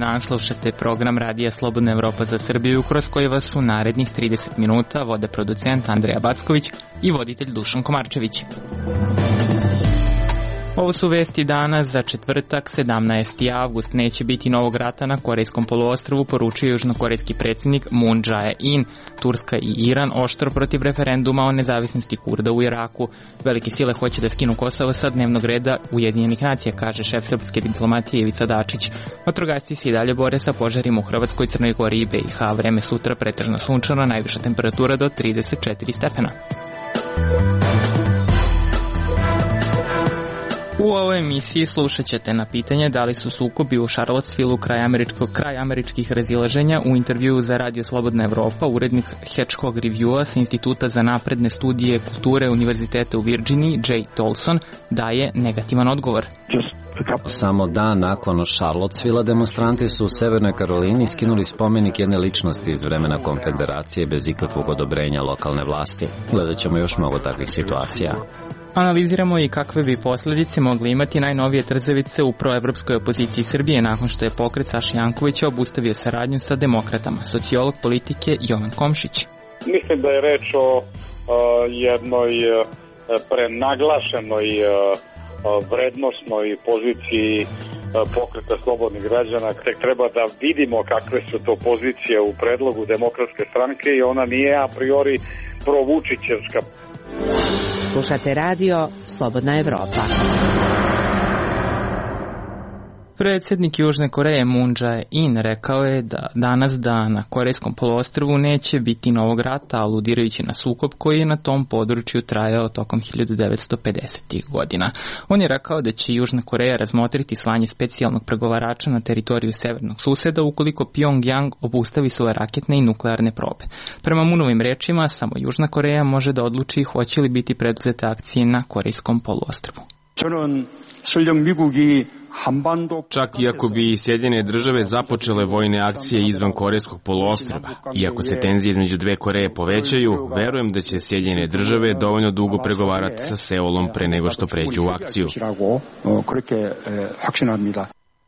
dan, slušate program Radija Slobodna Evropa za Srbiju, kroz koji vas u narednih 30 minuta vode producent Andreja Backović i voditelj Dušan Komarčević. Ovo su vesti dana za četvrtak, 17. avgust. Neće biti novog rata na Korejskom poluostrvu, poručio južnokorejski predsjednik Moon Jae-in. Turska i Iran oštro protiv referenduma o nezavisnosti Kurda u Iraku. Velike sile hoće da skinu Kosovo sa dnevnog reda Ujedinjenih nacija, kaže šef srpske diplomatije Ivica Dačić. Vatrogasci se i dalje bore sa požarima u Hrvatskoj, Crnoj Gori i BiH. Vreme sutra pretežno sunčano, najviša temperatura do 34 stepena. U ovoj emisiji slušat ćete na pitanje da li su sukobi u Charlottesvilleu kraj američkih razilaženja. U intervjuu za Radio Slobodna Evropa urednik Hedgehog Reviewa sa Instituta za napredne studije kulture Univerziteta u Virginiji, Jay Tolson, daje negativan odgovor. Samo dan nakon Charlottesvillea demonstranti su u Severnoj Karolini skinuli spomenik jedne ličnosti iz vremena Konfederacije bez ikakvog odobrenja lokalne vlasti. Gledat ćemo još mnogo takvih situacija. Analiziramo i kakve bi posljedice mogli imati najnovije trzavice u proevropskoj opoziciji Srbije nakon što je pokret Saše Jankovića obustavio saradnju sa demokratama. Sociolog politike Jovan Komšić. Mislim da je reč o jednoj prenaglašenoj vrednosnoj poziciji pokreta slobodnih građana. Tek treba da vidimo kakve su to pozicije u predlogu Demokratske stranke i ona nije a priori provučićevska. Slušate radio Slobodna Evropa. Predsjednik Južne Koreje Moon Jae-in rekao je da danas na Korejskom poluostrvu neće biti novog rata, aludirajući na sukob koji je na tom području trajao tokom 1950. godina. On je rekao da će Južna Koreja razmotriti slanje specijalnog pregovarača na teritoriju severnog suseda ukoliko Pyongyang obustavi svoje raketne i nuklearne probe. Prema Moonovim rečima, samo Južna Koreja može da odluči hoće li biti preduzete akcije na Korejskom poluostrvu. Čak i ako bi Sjedinjene države započele vojne akcije izvan Korejskog poluostrva, iako se tenzije između dve Koreje povećaju, verujem da će Sjedinjene države dovoljno dugo pregovarati sa Seulom pre nego što pređu u akciju.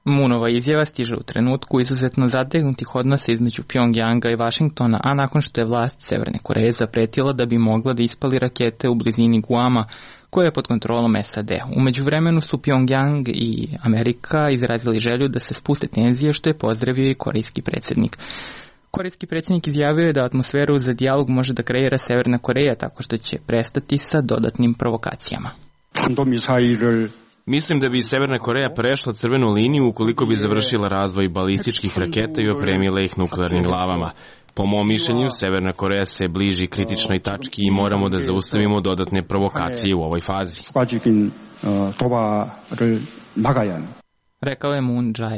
Moonova izjava stiže u trenutku izuzetno zategnutih odnosa između Pyongyanga i Vašingtona, a nakon što je vlast Severne Koreje zapretila da bi mogla da ispali rakete u blizini Guama, koja je pod kontrolom SAD. U međuvremenu su Pyongyang i Amerika izrazili želju da se spuste tenzije, što je pozdravio i korejski predsjednik. Korejski predsjednik izjavio je da atmosferu za dijalog može da kreira Severna Koreja tako što će prestati sa dodatnim provokacijama. Mislim da bi Severna Koreja prešla crvenu liniju ukoliko bi završila razvoj balističkih raketa i opremila ih nuklearnim glavama. Po mom mišljenju, Severna Koreja se bliži kritičnoj tački i moramo da zaustavimo dodatne provokacije u ovoj fazi. Rekao je Moon Jae-in.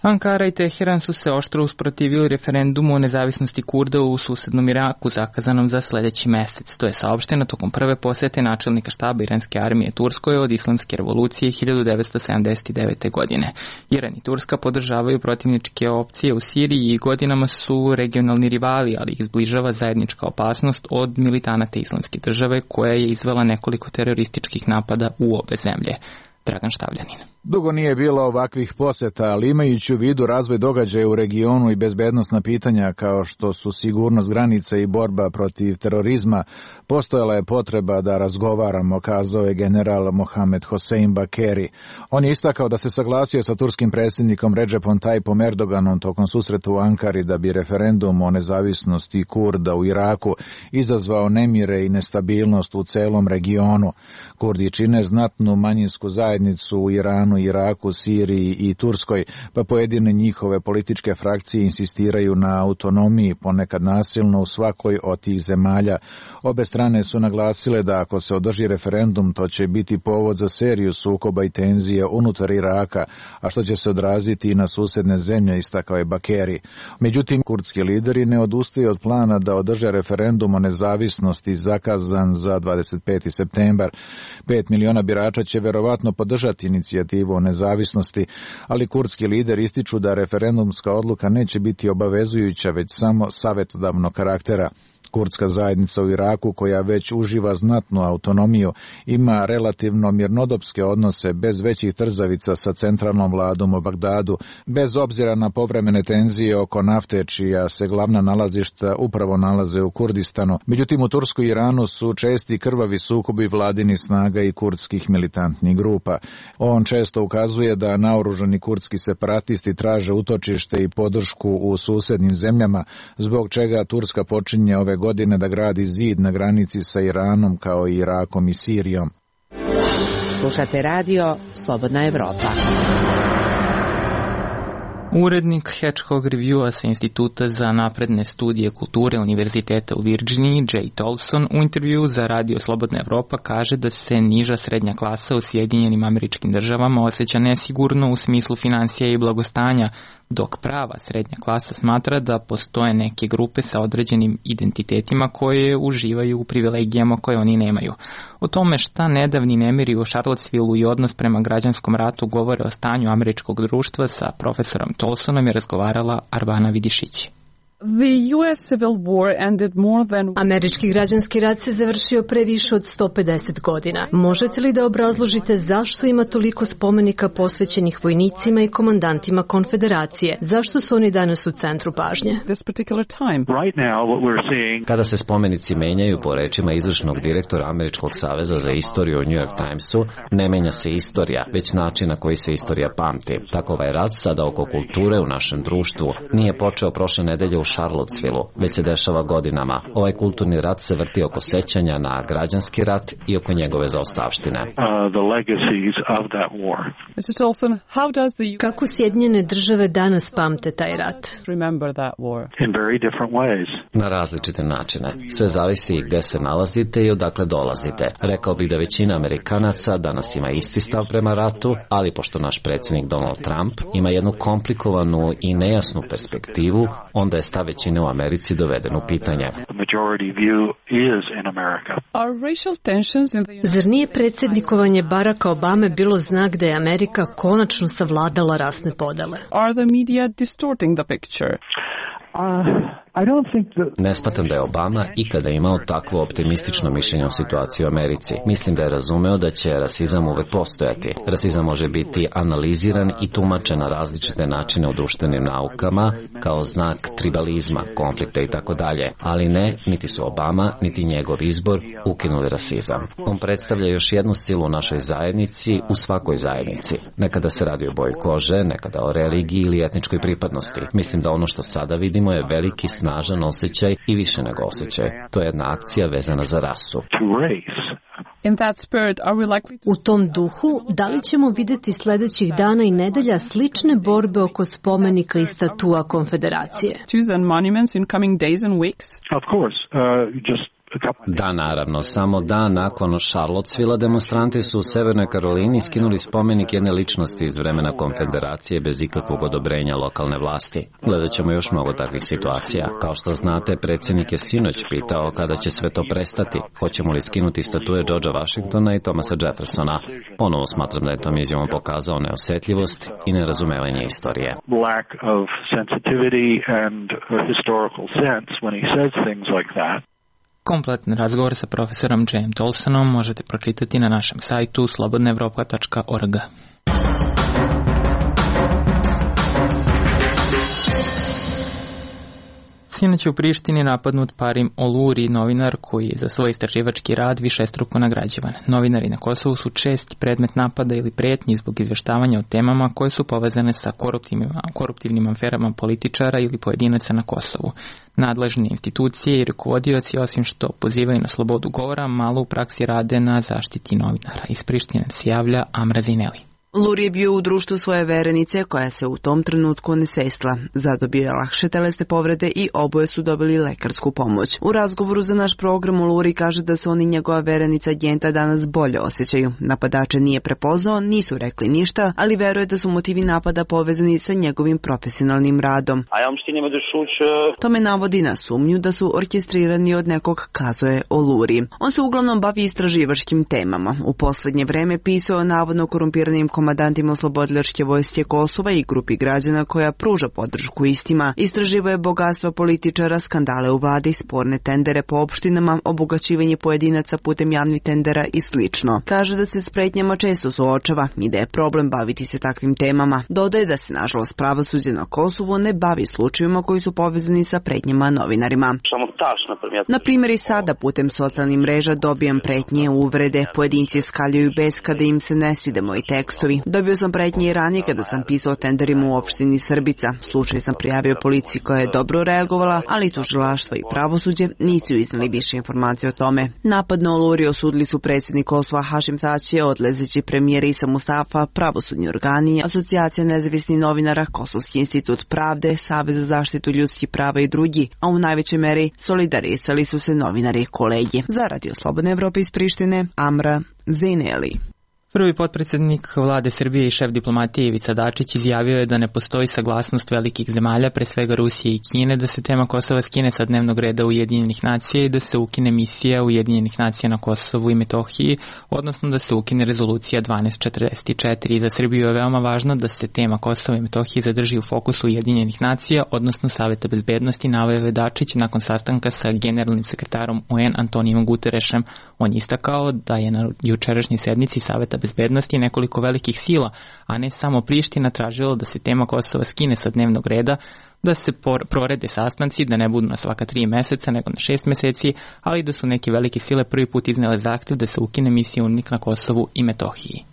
Ankara i Teheran su se oštro usprotivili referendumu o nezavisnosti Kurda u susednom Iraku zakazanom za sljedeći mesec. To je saopšteno tokom prve posete načelnika štaba iranske armije Turskoj od islamske revolucije 1979. godine. Iran i Turska podržavaju protivničke opcije u Siriji i godinama su regionalni rivali, ali ih zbližava zajednička opasnost od militanata islamske države koja je izvela nekoliko terorističkih napada u obe zemlje. Dragan Štavljanin. Dugo nije bilo ovakvih poseta, ali imajući u vidu razvoj događaja u regionu i bezbednosna pitanja kao što su sigurnost granica i borba protiv terorizma, postojala je potreba da razgovaramo, kazao je general Mohamed Hossein Bakeri. On je istakao da se saglasio sa turskim predsjednikom Recepom Tayyipom Erdoganom tokom susreta u Ankari da bi referendum o nezavisnosti Kurda u Iraku izazvao nemire i nestabilnost u celom regionu. Kurdi čine znatnu manjinsku zajednicu u Iranu, Iraku, Siriji i Turskoj, pa pojedine njihove političke frakcije insistiraju na autonomiji, ponekad nasilno u svakoj od tih zemalja. Obe strane su naglasile da ako se održi referendum, to će biti povod za seriju sukoba i tenzija unutar Iraka, a što će se odraziti i na susedne zemlje, istakao je Bakeri. Međutim, kurdski lideri ne odustaju od plana da održe referendum o nezavisnosti zakazan za 25. septembar. 5 miliona birača će verovatno podržati inicijativu o nezavisnosti, ali kurdski lider ističu da referendumska odluka neće biti obavezujuća, već samo savjetodavnog karaktera. Kurdska zajednica u Iraku, koja već uživa znatnu autonomiju, ima relativno mirnodopske odnose bez većih trzavica sa centralnom vladom u Bagdadu, bez obzira na povremene tenzije oko nafte, čija se glavna nalazišta upravo nalaze u Kurdistanu. Međutim, u Tursku i Iranu su česti krvavi sukobi vladini snaga i kurdskih militantnih grupa. On često ukazuje da naoružani kurdski separatisti traže utočište i podršku u susednim zemljama, zbog čega Turska počinje ove godine da gradi zid na granici sa Iranom kao i Irakom i Sirijom. Slušate radio Slobodna Evropa. Urednik Hedgehog Reviewa sa Instituta za napredne studije kulture Univerziteta u Virginiji, Jay Tolson, u intervju za radio Slobodna Evropa kaže da se niža srednja klasa u Sjedinjenim Američkim Državama osjeća nesigurno u smislu finansija i blagostanja, dok prava srednja klasa smatra da postoje neke grupe sa određenim identitetima koje uživaju u privilegijama koje oni nemaju. O tome šta nedavni nemiri u Charlottesvilleu i odnos prema građanskom ratu govore o stanju američkog društva sa profesorom Tolsonom je razgovarala Arbana Vidišić. Američki građanski rat se završio pre više od 150 godina. Možete li da obrazložite zašto ima toliko spomenika posvećenih vojnicima i komandantima konfederacije? Zašto su oni danas u centru pažnje? Kada se spomenici menjaju, po rečima izvršnog direktora Američkog saveza za istoriju u New York Timesu, ne menja se istorija, već način na koji se istorija pamti. Tako ovaj rat sada oko kulture u našem društvu nije počeo prošle nedelje u Charlottesvilleu, već se dešava godinama. Ovaj kulturni rat se vrti oko sećanja na građanski rat i oko njegove zaostavštine. Kako Sjedinjene Države danas pamte taj rat? Na različite načine. Sve zavisi gde se nalazite i odakle dolazite. Rekao bih da većina Amerikanaca danas ima isti stav prema ratu, ali pošto naš predsjednik Donald Trump ima jednu komplikovanu i nejasnu perspektivu, onda je stav većine u Americi doveden u pitanje. Zar nije predsjednikovanje Baracka Obame bilo znak da je Amerika konačno savladala rasne podele? Ne smatram da je Obama ikada imao takvo optimistično mišljenje o situaciji u Americi. Mislim da je razumeo da će rasizam uvek postojati. Rasizam može biti analiziran i tumačen na različite načine u društvenim naukama kao znak tribalizma, konflikta i tako dalje. Ali ne, niti su Obama, niti njegov izbor ukinuli rasizam. On predstavlja još jednu silu u našoj zajednici, u svakoj zajednici. Nekada se radi o boji kože, nekada o religiji ili etničkoj pripadnosti. Mislim da ono što sada vidimo je veliki snažan osjećaj i više nego osjećaj. To je jedna akcija vezana za rasu. U tom duhu, da li ćemo vidjeti sljedećih dana i nedelja slične borbe oko spomenika i statua konfederacije? Da, naravno. Samo dan nakon Charlottesvillea demonstranti su u Severnoj Karolini skinuli spomenik jedne ličnosti iz vremena konfederacije bez ikakvog odobrenja lokalne vlasti. Gledat ćemo još mnogo takvih situacija. Kao što znate, predsjednik je sinoć pitao kada će sve to prestati. Hoćemo li skinuti statue Georgea Washingtona i Thomasa Jeffersona? Ponovo smatram da je tom izjavom pokazao neosjetljivost i nerazumevanje istorije. Lack of sensitivity and historical sense when he says things like that. Kompletni razgovor sa profesorom Jayem Tolsonom možete pročitati na našem sajtu slobodnaevropa.org. Sinoć je u Prištini napadnut Parim Oluri, novinar koji je za svoj istraživački rad višestruko nagrađivan. Novinari na Kosovu su česti predmet napada ili pretnji zbog izveštavanja o temama koje su povezane sa koruptivnim aferama političara ili pojedinaca na Kosovu. Nadležne institucije i rukovodioci, osim što pozivaju na slobodu govora, malo u praksi rade na zaštiti novinara. Iz Prištine se javlja Amra Zineli. Luri je bio u društvu svoje verenice koja se u tom trenutku onesvestila. Zadobio je lakše telesne povrede i oboje su dobili lekarsku pomoć. U razgovoru za naš program Luri kaže da se on i njegova verenica Gjenta danas bolje osjećaju. Napadače nije prepoznao, nisu rekli ništa, ali veruje da su motivi napada povezani sa njegovim profesionalnim radom. Tome navodi na sumnju da su orkestrirani od nekog, kazuje Luri. On se uglavnom bavi istraživačkim temama. U posljednje vreme pisao o navodno korumpiranim komandantima oslobodilačke vojske Kosova i grupi građana koja pruža podršku istima. Istraživao je bogatstva političara, skandale u vladi, sporne tendere po opštinama, obogaćivanje pojedinaca putem javnih tendera i slično. Kaže da se s pretnjama često suočava i da je problem baviti se takvim temama. Dodaje da se, nažalost, pravosuđe na Kosovu ne bavi slučajevima koji su povezani sa pretnjama novinarima. Na primjer, i sada putem socijalnih mreža dobijam pretnje, uvrede, pojedinci skaljuju bes kada im se ne svide moji tekstovi. Dobio sam pretnje i ranije kada sam pisao o tenderima u opštini Srbica. Slučaj sam prijavio policiji koja je dobro reagovala, ali tužilaštvo i pravosuđe nisu iznali više informacije o tome. Napad na Oluri osudili su predsjednik Kosova Hašim Tači, odlezeći premijer Isa Mustafa, pravosudni organi, Asocijacija nezavisnih novinara, Kosovski institut pravde, Savez za zaštitu ljudskih prava i drugi, a u najvećoj meri solidarisali su se novinari i kolegi. Za Radio Slobodne Evrope iz Prištine, Amra Zeneli. Prvi potpredsjednik vlade Srbije i šef diplomatije Ivica Dačić izjavio je da ne postoji saglasnost velikih zemalja, pre svega Rusije i Kine, da se tema Kosova skine sa dnevnog reda Ujedinjenih nacija i da se ukine misija Ujedinjenih nacija na Kosovu i Metohiji, odnosno da se ukine rezolucija 1244. I za Srbiju je veoma važno da se tema Kosova i Metohije zadrži u fokusu Ujedinjenih nacija, odnosno Saveta bezbednosti, naveo je Dačić nakon sastanka sa generalnim sekretarom UN Antonijom Guterešem. On je istakao da je na jučerašnjoj sednici Saveta bezbednosti nekoliko velikih sila, a ne samo Priština, tražilo da se tema Kosova skine sa dnevnog reda, da se prorede sastanci, da ne budu na svaka 3 meseca, nego na 6 meseci, ali da su neke velike sile prvi put iznele zahtev da se ukine misija UNMIK na Kosovu i Metohiji.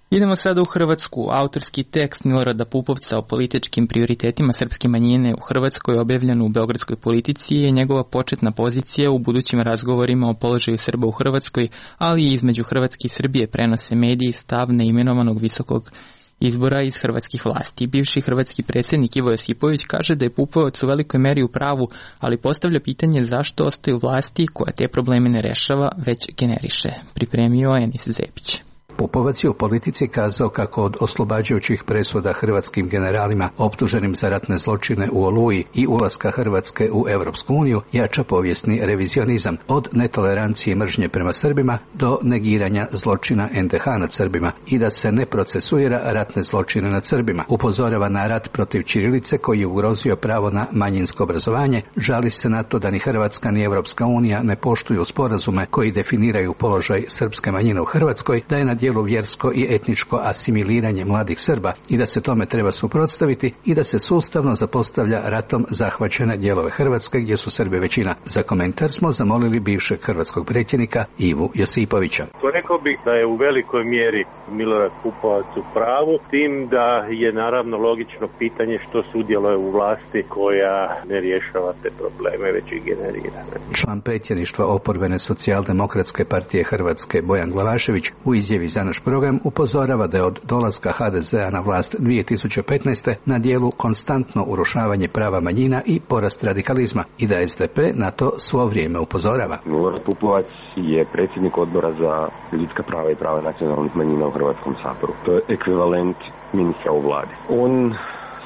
Idemo sada u Hrvatsku. Autorski tekst Milorada Pupovca o političkim prioritetima srpske manjine u Hrvatskoj objavljen u Beogradskoj Politici je njegova početna pozicija u budućim razgovorima o položaju Srba u Hrvatskoj, ali i između Hrvatske i Srbije prenose mediji stav neimenovanog visokog izbora iz hrvatskih vlasti. Bivši hrvatski predsjednik Ivo Josipović kaže da je Pupovac u velikoj meri u pravu, ali postavlja pitanje zašto ostaju vlasti koja te probleme ne rešava, već generiše. Pripremio Enis Zepić. Pupovac je u Politici kazao kako od oslobađajućih presuda hrvatskim generalima optuženim za ratne zločine u Oluji i ulaska Hrvatske u Europsku uniju jača povijesni revizionizam od netolerancije i mržnje prema Srbima do negiranja zločina NDH nad Srbima i da se ne procesuira ratne zločine nad Srbima. Upozorava na rat protiv ćirilice koji je ugrozio pravo na manjinsko obrazovanje, žali se na to da ni Hrvatska ni Europska unija ne poštuju sporazume koji definiraju položaj srpske manjine u Hrvatskoj, da je na djelu vjersko i etničko asimiliranje mladih Srba i da se tome treba suprotstaviti i da se sustavno zapostavlja ratom zahvaćene dijelove Hrvatske gdje su Srbi većina. Za komentar smo zamolili bivšeg hrvatskog predsjednika Ivu Josipovića. Rekao bih da je u velikoj mjeri Milorad Pupovac u pravu, tim da je naravno logično pitanje što sudjeluje u vlasti koja ne rješava te probleme, već i generira. Član predsjedništva oporbene socijaldemokratske partije Hrvatske Bojan Glavašević u izjavi za naš program upozorava da je od dolaska HDZ-a na vlast 2015. na dijelu konstantno urušavanje prava manjina i porast radikalizma i da SDP na to svo vrijeme upozorava. Milorad Pupovac je predsjednik odbora za ljudska prava i prava nacionalnih manjina u Hrvatskom saboru. To je ekvivalent ministra u vladi. On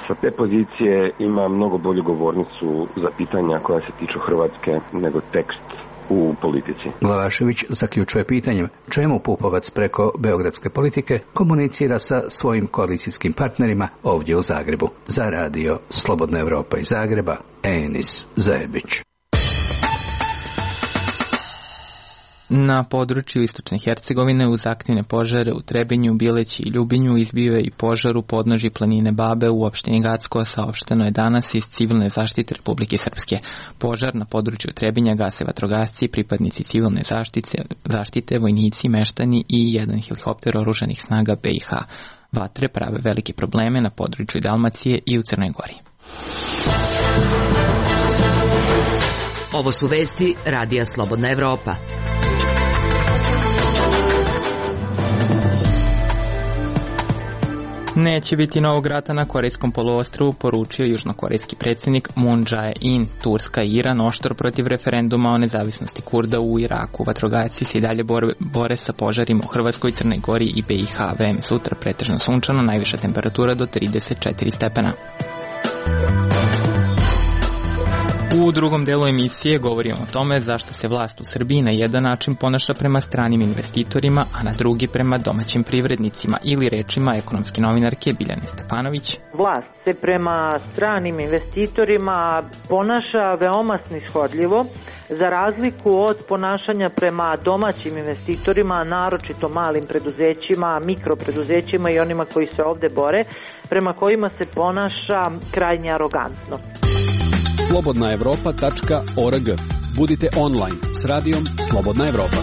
sa te pozicije ima mnogo bolju govornicu za pitanja koja se tiču Hrvatske nego tekst u Politici. Glavašević zaključuje pitanjem čemu Pupovac preko beogradske Politike komunicira sa svojim koalicijskim partnerima ovdje u Zagrebu. Za Radio Slobodna Evropa iz Zagreba, Enis Zebić. Na području istočne Hercegovine uz aktivne požare u Trebinju, Bileći i Ljubinju izbio je i požar u podnožji planine Babe u opštini Gacko, saopšteno je danas iz Civilne zaštite Republike Srpske. Požar na području Trebinja gase vatrogasci, pripadnici civilne zaštite, vojnici, meštani i jedan helikopter oružanih snaga BiH. Vatre prave velike probleme na području Dalmacije i u Crnoj Gori. Ovo su vesti Radija Slobodna Evropa. Neće biti novog rata na Korejskom poluostrvu, poručio južnokorejski predsjednik Moon Jae-in. Turska i Iran oštro protiv referenduma o nezavisnosti Kurda u Iraku. Vatrogasci se i dalje bore sa požarima u Hrvatskoj, Crnoj Gori i BiH. Vreme sutra pretežno sunčano, najviša temperatura do 34 stepena. U drugom delu emisije govorimo o tome zašto se vlast u Srbiji na jedan način ponaša prema stranim investitorima, a na drugi prema domaćim privrednicima, ili rečima ekonomske novinarke Biljane Stefanović. Vlast se prema stranim investitorima ponaša veoma snishodljivo, za razliku od ponašanja prema domaćim investitorima, naročito malim preduzećima, mikropreduzećima i onima koji se ovde bore, prema kojima se ponaša krajnje arogantno. slobodnaevropa.org. Budite online s radijom Slobodna Evropa.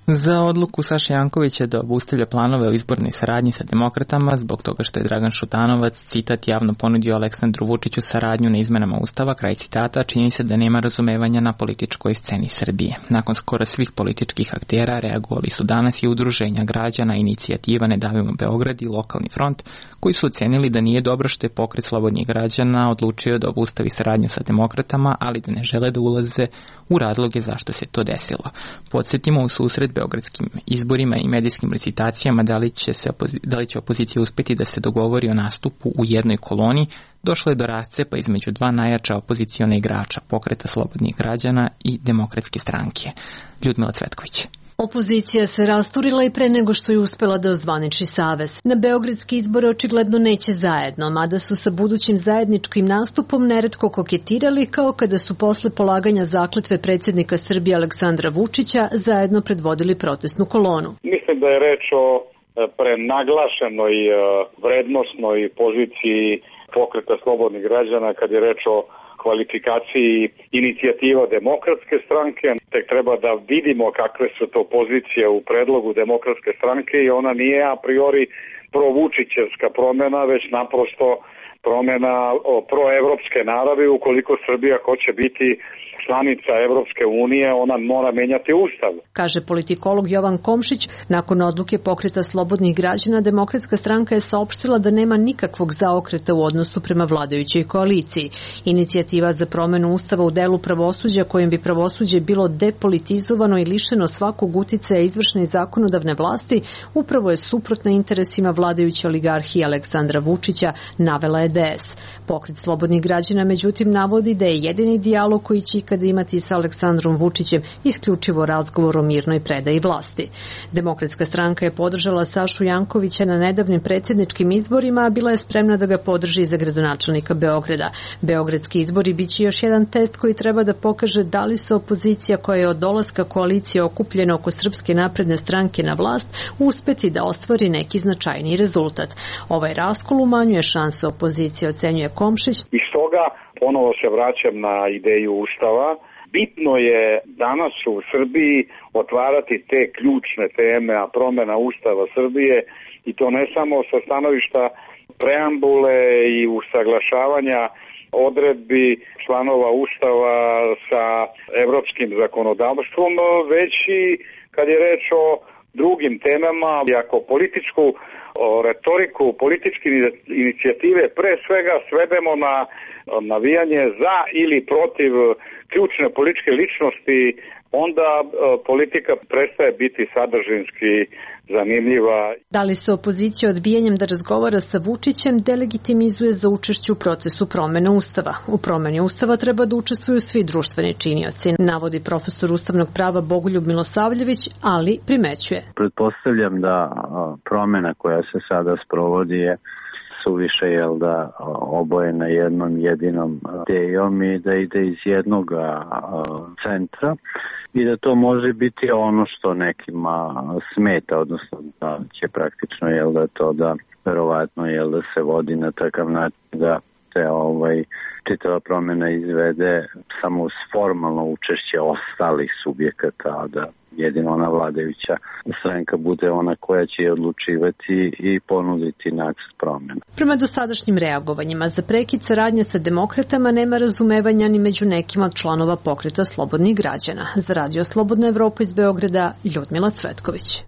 Za odluku Saše Jankovića da obustavlja planove o izbornoj saradnji sa demokratama zbog toga što je Dragan Šutanovac, citat, javno ponudio Aleksandru Vučiću saradnju na izmenama Ustava, kraj citata, čini se da nema razumevanja na političkoj sceni Srbije. Nakon skoro svih političkih aktera reagovali su danas i udruženja građana, inicijativa Ne davimo Beograd i Lokalni front, koji su ocenili da nije dobro što je Pokret slobodnih građana odlučio da obustavi saradnju sa demokratama, ali da ne žele da ulaze u razloge zašto se to desilo. Podsjetimo, u susret beogradskim izborima i medijskim recitacijama da li će opozicija uspeti da se dogovori o nastupu u jednoj koloni, došlo je do rascepa između dva najjača opoziciona igrača, Pokreta slobodnih građana i Demokratske stranke. Ljudmila Cvetković. Opozicija se rasturila i pre nego što je uspela da ozvaniči savez. Na beogradski izbore očigledno neće zajedno, mada su sa budućim zajedničkim nastupom neretko koketirali, kao kada su posle polaganja zakletve predsjednika Srbije Aleksandra Vučića zajedno predvodili protestnu kolonu. Mislim da je reč o prenaglašenoj vrednosnoj poziciji Pokreta slobodnih građana kad je reč o kvalifikaciji inicijativa Demokratske stranke. Tek treba da vidimo kakve su to pozicije u predlogu Demokratske stranke i ona nije a priori provučićevska promjena, već naprosto promjena proevropske naravi. Ukoliko Srbija hoće biti članica Evropske unije, ona mora menjati ustav. Kaže politikolog Jovan Komšić, nakon odluke Pokreta slobodnih građana, Demokratska stranka je saopštila da nema nikakvog zaokreta u odnosu prema vladajućoj koaliciji. Inicijativa za promenu ustava u delu pravosuđa, kojim bi pravosuđe bilo depolitizovano i lišeno svakog uticaja izvršne i zakonodavne vlasti, upravo je suprotna interesima vladajuće oligarhije Aleksandra Vučića, navela je DS. Pokret slobodnih građana međutim navodi da je jedini dijalog koji će ikada imati sa Aleksandrom Vučićem isključivo razgovor o mirnoj predaji vlasti. Demokratska stranka je podržala Sašu Jankovića na nedavnim predsjedničkim izborima, a bila je spremna da ga podrži za gradonačelnika Beograda. Beogradski izbori biće još jedan test koji treba da pokaže da li se opozicija koja je od dolaska koalicije okupljena oko Srpske napredne stranke na vlast uspeti da ostvari neki značajniji rezultat. Ovaj raskol umanjuje šanse opozicije, ocenjuje Komšić. I stoga ponovo se vraćam na ideju Ustava. Bitno je danas u Srbiji otvarati te ključne teme, a promjena Ustava Srbije, i to ne samo sa stanovišta preambule i usaglašavanja odredbi članova Ustava sa evropskim zakonodavstvom, već i kad je reč o drugim temama. Ako političku retoriku, političke inicijative pre svega svedemo na navijanje za ili protiv ključne političke ličnosti, onda politika prestaje biti sadržinski zanimljiva. Da li se opozicija odbijanjem da razgovara sa Vučićem delegitimizuje za učešću u procesu promene Ustava? U promeni Ustava treba da učestvuju svi društveni činioci, navodi profesor ustavnog prava Bogoljub Milosavljević, ali primećuje. Pretpostavljam da promena koja se sada sprovodi je suviše obojena jednom jedinom idejom i da ide iz jednog centra i da to može biti ono što nekima smeta, odnosno da će praktično to da verovatno da se vodi na takav način da se čitava promjena izvede samo uz formalno učešće ostalih subjekata, a da jedino ona vladajuća stranka bude ona koja će odlučivati i ponuditi nacrt promjena. Prema dosadašnjim reagovanjima za prekid saradnje sa demokratama nema razumevanja ni među nekima od članova Pokreta slobodnih građana. Za Radio Slobodna Evropa iz Beograda, Ljudmila Cvetković.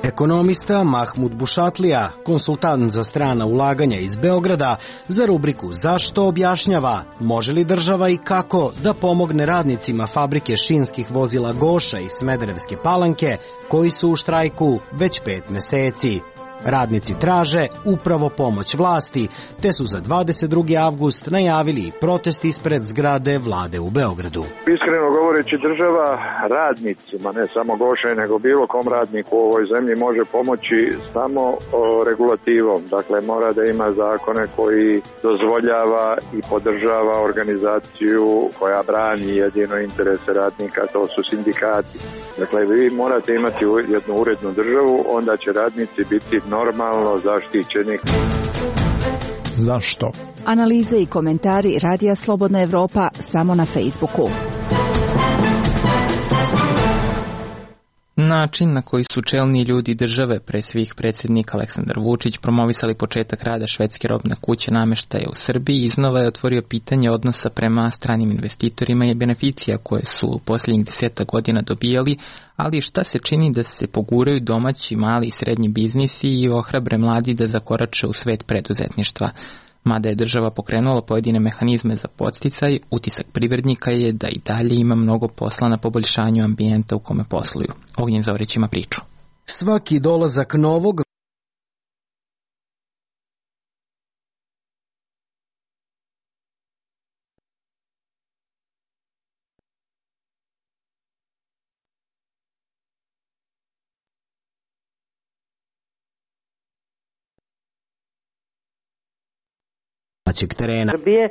Ekonomista Mahmud Bušatlija, konsultant za strana ulaganja iz Beograda, za rubriku Zašto objašnjava može li država i kako da pomogne radnicima fabrike šinskih vozila Goša iz Smederevske Palanke koji su u štrajku već 5 meseci. Radnici traže upravo pomoć vlasti, te su za 22. avgust najavili i protest ispred zgrade vlade u Beogradu. Iskreno govoreći, država radnicima, ne samo Goše, nego bilo kom radniku u ovoj zemlji može pomoći samo regulativom. Dakle, mora da ima zakone koji dozvoljava i podržava organizaciju koja brani jedino interese radnika, to su sindikati. Dakle, vi morate imati jednu urednu državu, onda će radnici biti normalno zaštićeni. Zašto? Analize i komentari Radija Slobodna Evropa samo na Facebooku. Način na koji su čelni ljudi države, pre svih predsjednik Aleksandar Vučić, promovisali početak rada švedske robne kuće namještaja u Srbiji, iznova je otvorio pitanje odnosa prema stranim investitorima i beneficija koje su u posljednjih 10 godina dobijali, ali šta se čini da se poguraju domaći, mali i srednji biznisi i ohrabre mladi da zakorače u svet preduzetništva. Mada je država pokrenula pojedine mehanizme za podsticaj, utisak privrednika je da i dalje ima mnogo posla na poboljšanju ambijenta u kome posluju. Ognjen Zorić ima priču. Svaki dolazak novog terena. Srbije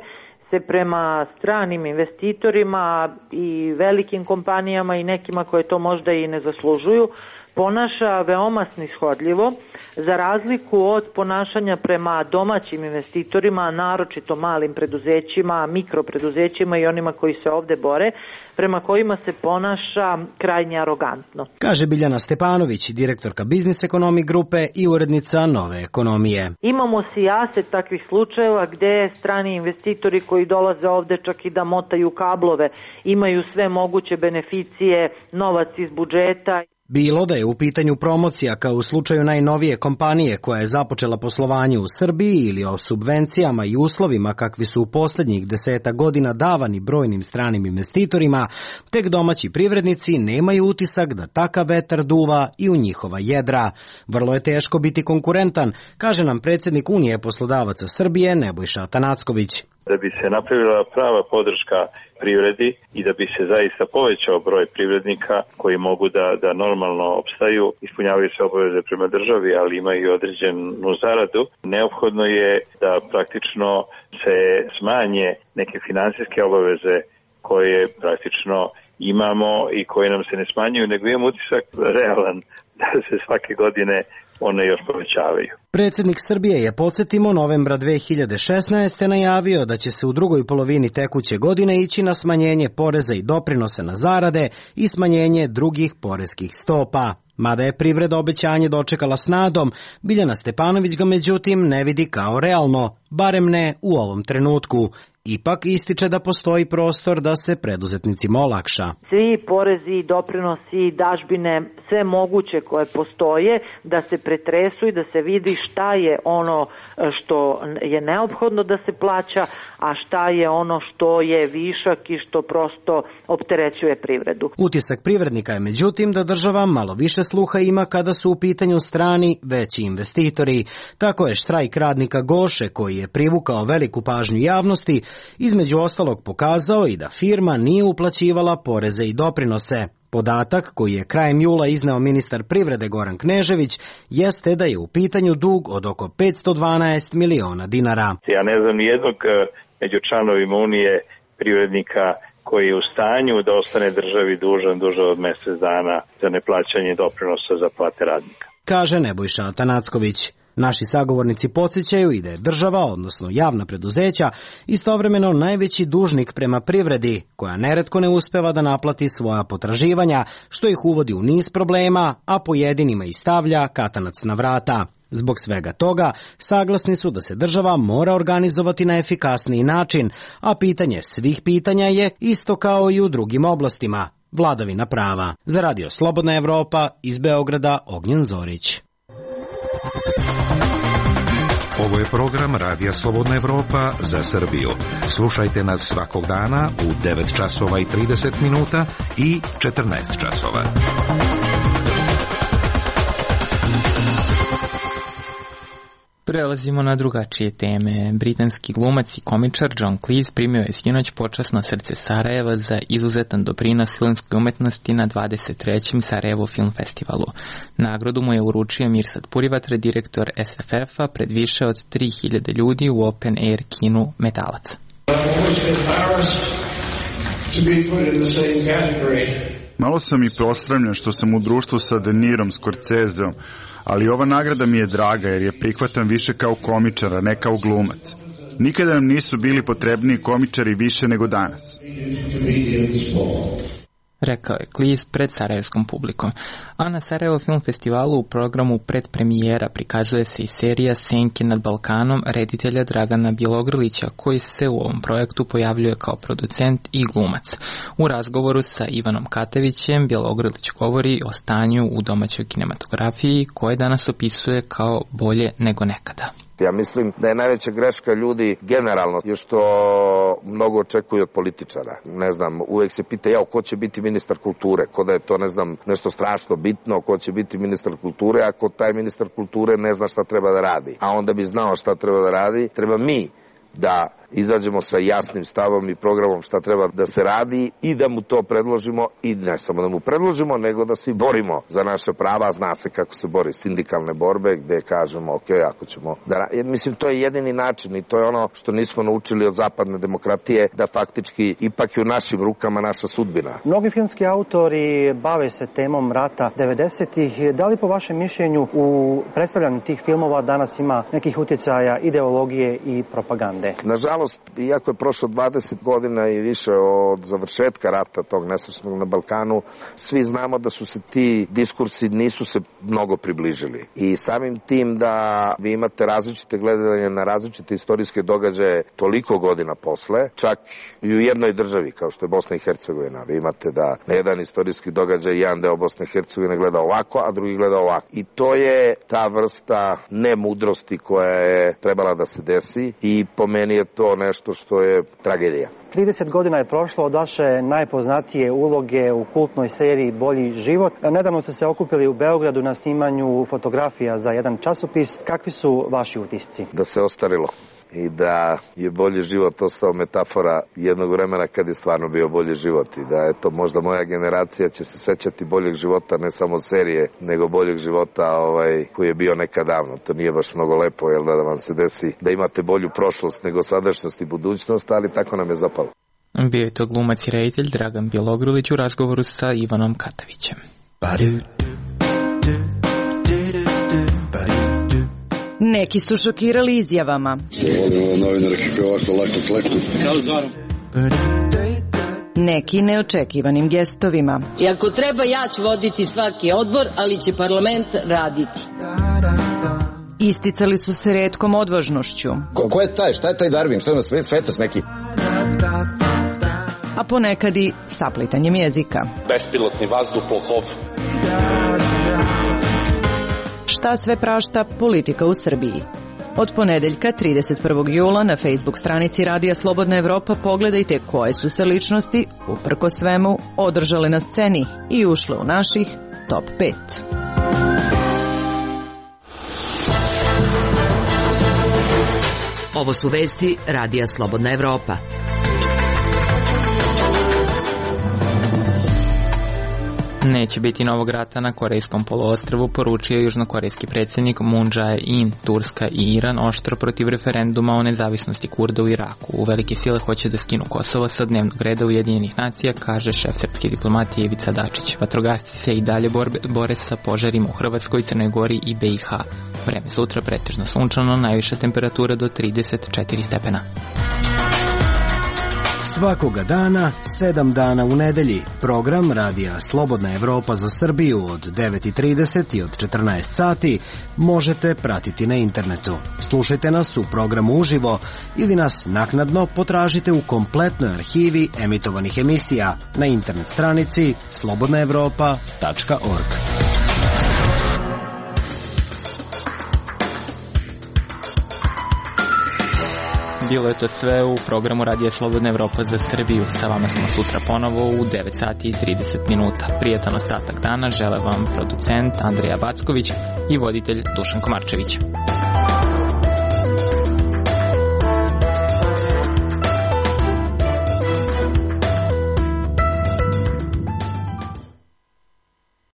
se prema stranim investitorima i velikim kompanijama i nekima koje to možda i ne zaslužuju ponaša veoma snishodljivo, za razliku od ponašanja prema domaćim investitorima, naročito malim preduzećima, mikropreduzećima i onima koji se ovde bore, prema kojima se ponaša krajnje arogantno. Kaže Biljana Stepanović, direktorka Biznis Ekonomi grupe i urednica Nove ekonomije. Imamo sijaset takvih slučajeva gde strani investitori koji dolaze ovde čak i da motaju kablove, imaju sve moguće beneficije, novac iz budžeta. Bilo da je u pitanju promocija kao u slučaju najnovije kompanije koja je započela poslovanje u Srbiji ili o subvencijama i uslovima kakvi su u posljednjih 10 godina davani brojnim stranim investitorima, tek domaći privrednici nemaju utisak da takav vetar duva i u njihova jedra. Vrlo je teško biti konkurentan, kaže nam predsjednik Unije poslodavaca Srbije Nebojša Atanacković. Da bi se napravila prava podrška privredi i da bi se zaista povećao broj privrednika koji mogu da normalno opstaju, ispunjavaju se obaveze prema državi, ali imaju i određenu zaradu, neophodno je da praktično se smanje neke finansijske obaveze koje praktično imamo i koje nam se ne smanjuju, nego imamo utisak realan da se svake godine one još povećavaju. Predsjednik Srbije je, podsjetimo, novembra 2016. najavio da će se u drugoj polovini tekuće godine ići na smanjenje poreza i doprinosa na zarade i smanjenje drugih poreskih stopa. Mada je privreda obećanje dočekala s nadom, Biljana Stepanović ga međutim ne vidi kao realno, barem ne u ovom trenutku. Ipak ističe da postoji prostor da se preduzetnicima olakša. Svi porezi, doprinosi, dažbine, sve moguće koje postoje, da se pretresu i da se vidi šta je ono što je neophodno da se plaća, a šta je ono što je višak i što prosto opterećuje privredu. Utisak privrednika je međutim da država malo više sluha ima kada su u pitanju strani veći investitori. Tako je štrajk radnika Goše, koji je privukao veliku pažnju javnosti, između ostalog pokazao i da firma nije uplaćivala poreze i doprinose. Podatak koji je krajem jula izneo ministar privrede Goran Knežević jeste da je u pitanju dug od oko 512 miliona dinara. Ja ne znam nijednog među članovima Unije privrednika koji je u stanju da ostane državi dužan duže od mjesec dana za neplaćanje doprinosa za plate radnika, kaže Nebojša Atanacković. Naši sagovornici podsjećaju i da je država, odnosno javna preduzeća, istovremeno najveći dužnik prema privredi, koja neretko ne uspeva da naplati svoja potraživanja, što ih uvodi u niz problema, a pojedinima i stavlja katanac na vrata. Zbog svega toga, saglasni su da se država mora organizovati na efikasniji način, a pitanje svih pitanja je isto kao i u drugim oblastima, vladavina prava. Za Radio Slobodna Evropa, iz Beograda, Ognjen Zorić. Ovo je program Radija Slobodna Evropa za Srbiju. Slušajte nas svakog dana u 9 časova i 30 minuta i 14 časova. Prelazimo na drugačije teme. Britanski glumac i komičar John Cleese primio je sinoć počasno srce Sarajeva za izuzetan doprinos filmskoj umetnosti na 23. Sarajevo Film Festivalu. Nagradu mu je uručio Mirsad Purivatra, direktor SFF-a, pred više od 3000 ljudi u open air kinu Metalac. Malo sam i posramljen što sam u društvu sa De Nirom, Scorseseom, ali ova nagrada mi je draga jer je prihvatam više kao komičar, a ne kao glumac. Nikada nam nisu bili potrebniji komičari više nego danas. Rekao je Cleese pred sarajevskom publikom. A na Sarajevo Film Festivalu u programu predpremijera prikazuje se i serija Senke nad Balkanom reditelja Dragana Bjelogrlića, koji se u ovom projektu pojavljuje kao producent i glumac. U razgovoru sa Ivanom Katavićem Bjelogrlić govori o stanju u domaćoj kinematografiji, koje danas opisuje kao bolje nego nekada. Ja mislim da je najveća greška ljudi generalno je što mnogo očekuju od političara. Ne znam, uvek se pita ko će biti ministar kulture, ko da je to, ne znam, nešto strašno bitno, ko će biti ministar kulture, ako taj ministar kulture ne zna šta treba da radi. A onda bi znao šta treba da radi, treba mi da izađemo sa jasnim stavom i programom šta treba da se radi i da mu to predložimo, i ne samo da mu predložimo, nego da se borimo za naše prava. Zna se kako se bori sindikalne borbe, gde kažemo ako ćemo da... Mislim, to je jedini način i to je ono što nismo naučili od zapadne demokratije, da faktički ipak je u našim rukama naša sudbina. Mnogi filmski autori bave se temom rata 90-ih. Da li po vašem mišljenju u predstavljanju tih filmova danas ima nekih utjecaja ideologije i propagande? Nažalost, iako je prošlo 20 godina i više od završetka rata tog nesrećnog na Balkanu, svi znamo da su se ti diskursi nisu se mnogo približili. I samim tim da vi imate različite gledanje na različite istorijske događaje toliko godina posle, čak i u jednoj državi kao što je Bosna i Hercegovina. Vi imate da na jedan istorijski događaj jedan deo Bosne i Hercegovine gleda ovako, a drugi gleda ovako. I to je ta vrsta nemudrosti koja je trebala da se desi i po meni je to nešto što je tragedija. 30 godina je prošlo od vaše najpoznatije uloge u kultnoj seriji Bolji život. Nedavno ste se okupili u Beogradu na snimanju fotografija za jedan časopis. Kakvi su vaši utisci? Da se ostarilo i da je bolji život ostao metafora jednog vremena kad je stvarno bio bolji život i da eto možda moja generacija će se sećati boljeg života, ne samo serije, nego boljeg života koji je bio nekad davno. To nije baš mnogo lepo, jel da vam se desi da imate bolju prošlost nego sadašnjost i budućnost, ali tako nam je zapalo. Bio je to glumac i reditelj Dragan Bjelogrlić u razgovoru sa Ivanom Katavićem. Neki su šokirali izjavama. Neki neočekivanim gestovima. I ako treba, ja ću voditi svaki odbor, ali će parlament raditi. Isticali su se retkom odvažnošću. Ko je taj? Šta je taj Darwin? Šta je na svetac neki? A ponekad i saplitanjem jezika. Bespilotni vazduhoplov. Šta sve prašta politika u Srbiji? Od ponedeljka 31. jula na Facebook stranici Radija Slobodna Evropa pogledajte koje su se ličnosti, uprko svemu, održale na sceni i ušle u naših top 5. Ovo su vesti Radija Slobodna Evropa. Neće biti novog rata na Korejskom poluostrvu, poručio južnokorejski predsjednik Moon Jae-in. Turska i Iran oštro protiv referenduma o nezavisnosti Kurda u Iraku. U velike sile hoće da skinu Kosovo sa dnevnog reda Ujedinjenih nacija, kaže šef srpske diplomatije Ivica Dačić. Vatrogasci se i dalje bore sa požarima u Hrvatskoj, Crnoj Gori i BiH. Vreme sutra pretežno sunčano, najviša temperatura do 34 stepena. Svakoga dana, 7 dana u nedelji. Program Radija Slobodna Evropa za Srbiju od 9:30 i od 14 sati možete pratiti na internetu. Slušajte nas u programu uživo ili nas naknadno potražite u kompletnoj arhivi emitovanih emisija na internet stranici slobodnaevropa.org. Bilo je to sve u programu Radija Slobodna Evropa za Srbiju. Sa vama smo sutra ponovo u 9 sati i 30 minuta. Prijatan ostatak dana žele vam producent Andrija Backović i voditelj Dušan Komarčević.